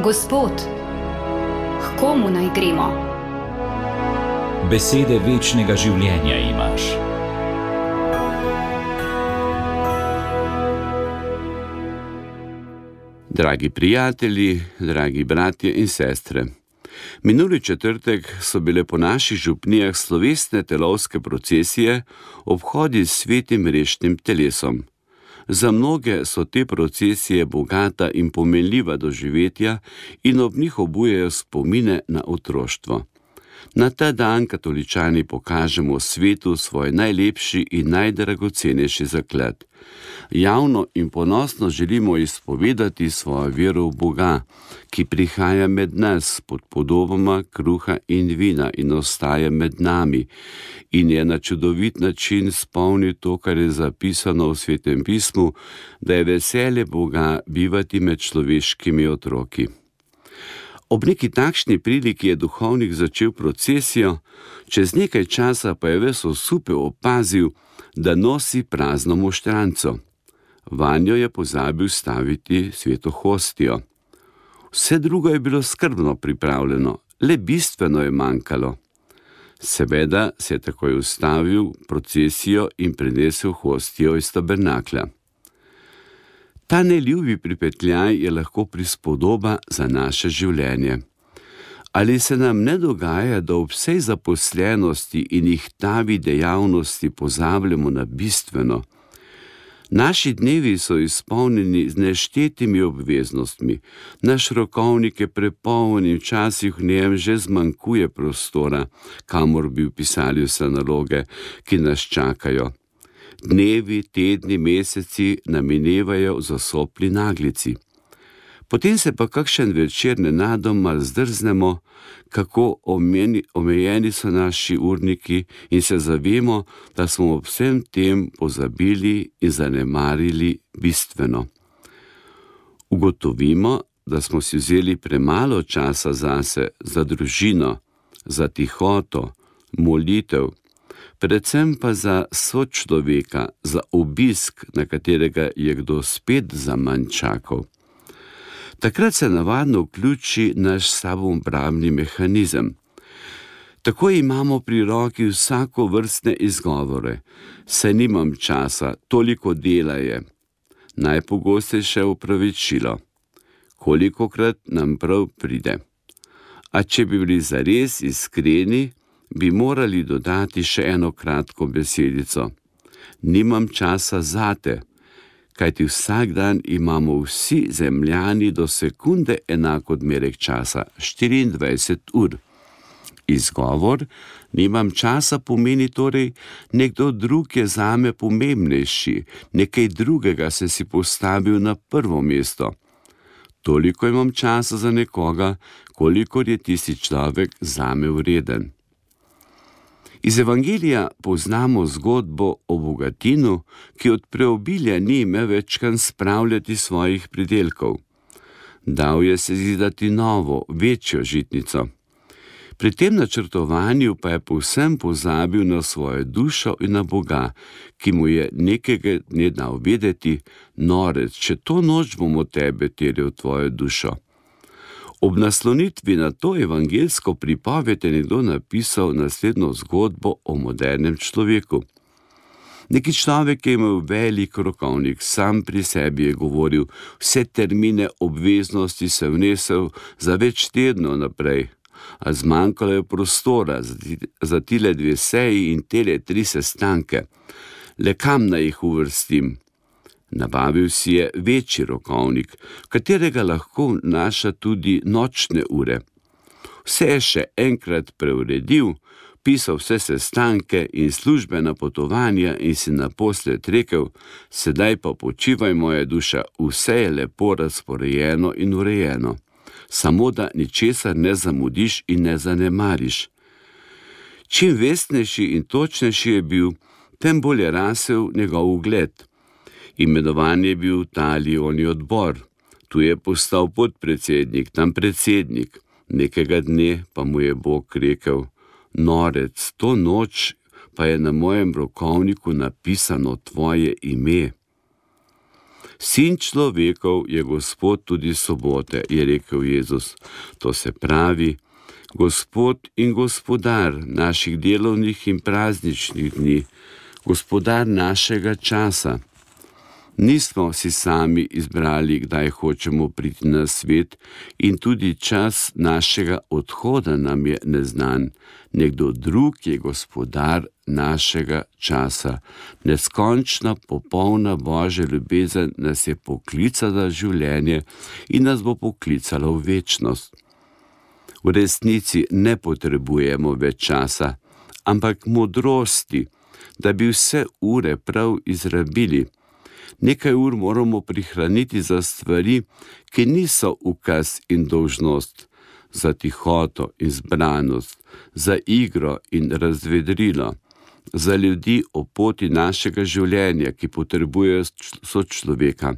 Gospod, k komu naj gremo? Besede večnega življenja imaš. Dragi prijatelji, dragi bratje in sestre, minuli četrtek so bile po naših župnijah slovesne telovske procesije, obhodi s svetim rešnim telesom. Za mnoge so te procesije bogata in pomenljiva doživetja in ob njih obujajo spomine na otroštvo. Na ta dan katoličani pokažemo svetu svoj najlepši in najdragocenejši zaklad. Javno in ponosno želimo izpovedati svojo vero v Boga, ki prihaja med nas pod podobama kruha in vina in ostaja med nami in je na čudovit način spomnil to, kar je zapisano v Svetem pismu, da je veselje Boga bivati med človeškimi otroki. Ob neki takšni priliki je duhovnik začel procesijo, čez nekaj časa pa je ves osupel opazil, da nosi prazno moštranco. Vanjo je pozabil staviti sveto hostijo. Vse drugo je bilo skrbno pripravljeno, le bistveno je manjkalo. Seveda se je takoj ustavil procesijo in prinesel hostijo iz tabernaklja. Ta neljubi pripetljaj je lahko prispodoba za naše življenje. Ali se nam ne dogaja, da ob vsej zaposlenosti in ihtavi dejavnosti pozabljamo na bistveno? Naši dnevi so izpolnjeni z neštetimi obveznostmi, naš rokovnik je prepoln in včasih v njem že zmanjkuje prostora, kamor bi vpisali vse naloge, ki nas čakajo. Dnevi, tedni, meseci nam minevajo v zasopli naglici. Potem se pa kakšen večer nenadoma zdrznemo, kako omejeni so naši urniki in se zavemo, da smo ob vsem tem pozabili in zanemarili bistveno. Ugotovimo, da smo si vzeli premalo časa zase, za družino, za tihoto, molitev, predvsem pa za sočloveka, za obisk, na katerega je kdo spet zaman čakal. Takrat se navadno vključi naš samoobrambni mehanizem. Tako imamo pri roki vsakovrstne izgovore. Saj nimam časa, toliko dela je. Najpogostejše opravičilo. Kolikokrat nam prav pride. A če bi bili zares iskreni, bi morali dodati še eno kratko besedico. Nimam časa zate, kajti vsak dan imamo vsi zemljani do sekunde enak odmerek časa, 24 ur. Izgovor, nimam časa, pomeni torej, nekdo drug je zame pomembnejši, nekaj drugega se si postavil na prvo mesto. Toliko imam časa za nekoga, kolikor je tisti človek zame vreden. Iz Evangelija poznamo zgodbo o bogatinu, ki od preobilja ni imel več kam spravljati svojih pridelkov. Dal je se zidati novo, večjo žitnico. Pri tem načrtovanju pa je povsem pozabil na svojo dušo in na Boga, ki mu je nekega dne dal vedeti: norec, če to noč bom od tebe terjal tvojo dušo. Ob naslonitvi na to evangelsko pripoved je nekdo napisal naslednjo zgodbo o modernem človeku. Neki človek je imel velik rokovnik, sam pri sebi je govoril, vse termine obveznosti se vnesel za več tednov naprej, a zmanjkalo je prostora za tile 2 seji in tele 3 sestanke. Le kam naj jih uvrstim? Nabavil si je večji rokovnik, katerega lahko vnaša tudi nočne ure. Vse je še enkrat preuredil, pisal vse sestanke in službena potovanja in si naposled rekel: sedaj pa počivaj, moja duša, vse je lepo razporejeno in urejeno. Samo da ničesar ne zamudiš in ne zanemariš. Čim vestnejši in točnejši je bil, tem bolj je rasel njegov ugled. Imenovan je bil v Talijoni odbor, tu je postal podpredsednik, tam predsednik. Nekega dne pa mu je Bog rekel: norec, to noč pa je na mojem rokovniku napisano tvoje ime. Sin človekov je Gospod tudi sobote, je rekel Jezus. To se pravi, Gospod in gospodar naših delovnih in prazničnih dni, gospodar našega časa. Nismo si sami izbrali, kdaj hočemo priti na svet, in tudi čas našega odhoda nam je neznan. Nekdo drug je gospodar našega časa. Neskončna, popolna Božja ljubezen nas je poklicala v življenje in nas bo poklicala v večnost. V resnici ne potrebujemo več časa, ampak modrosti, da bi vse ure prav izrabili. Nekaj ur moramo prihraniti za stvari, ki niso ukaz in dolžnost, za tihoto in zbranost, za igro in razvedrilo, za ljudi o poti našega življenja, ki potrebujejo sočloveka.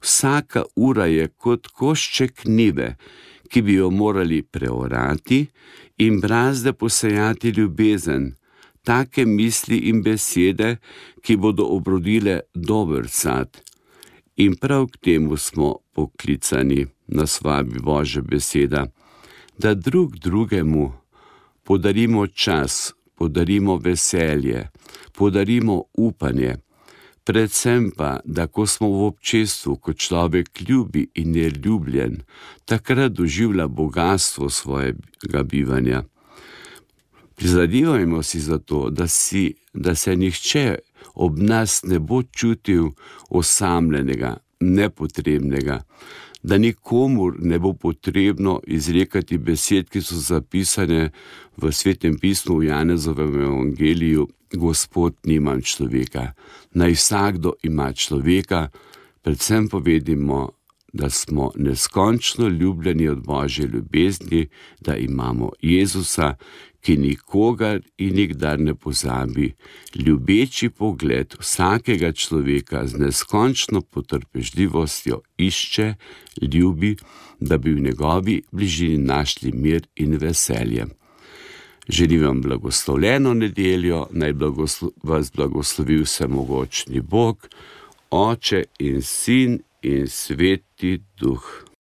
Vsaka ura je kot košček njive, ki bi jo morali preorati in brazde posejati ljubezen, take misli in besede, ki bodo obrodile dober sad. In prav k temu smo poklicani, nas vabi Božja beseda, da drug drugemu podarimo čas, podarimo veselje, podarimo upanje, predvsem pa, da ko smo v občestvu, ko človek ljubi in je ljubljen, takrat doživlja bogastvo svojega bivanja. Prizadevajmo si za to, da se nihče ob nas ne bo čutil osamljenega, nepotrebnega, da nikomur ne bo potrebno izrekati besed, ki so zapisane v Svetem pismu v Janezovem evangeliju: Gospod, nimam človeka. Naj vsakdo ima človeka, predvsem povedimo, da smo neskončno ljubljeni od Božje ljubezni, da imamo Jezusa, ki nikogar in nikdar ne pozabi, ljubeči pogled vsakega človeka z neskončno potrpežljivostjo išče, ljubi, da bi v njegovi bližini našli mir in veselje. Želim vam blagoslovljeno nedeljo, naj vas blagoslovi vsemogočni Bog, Oče in Sin in Sveti Duh.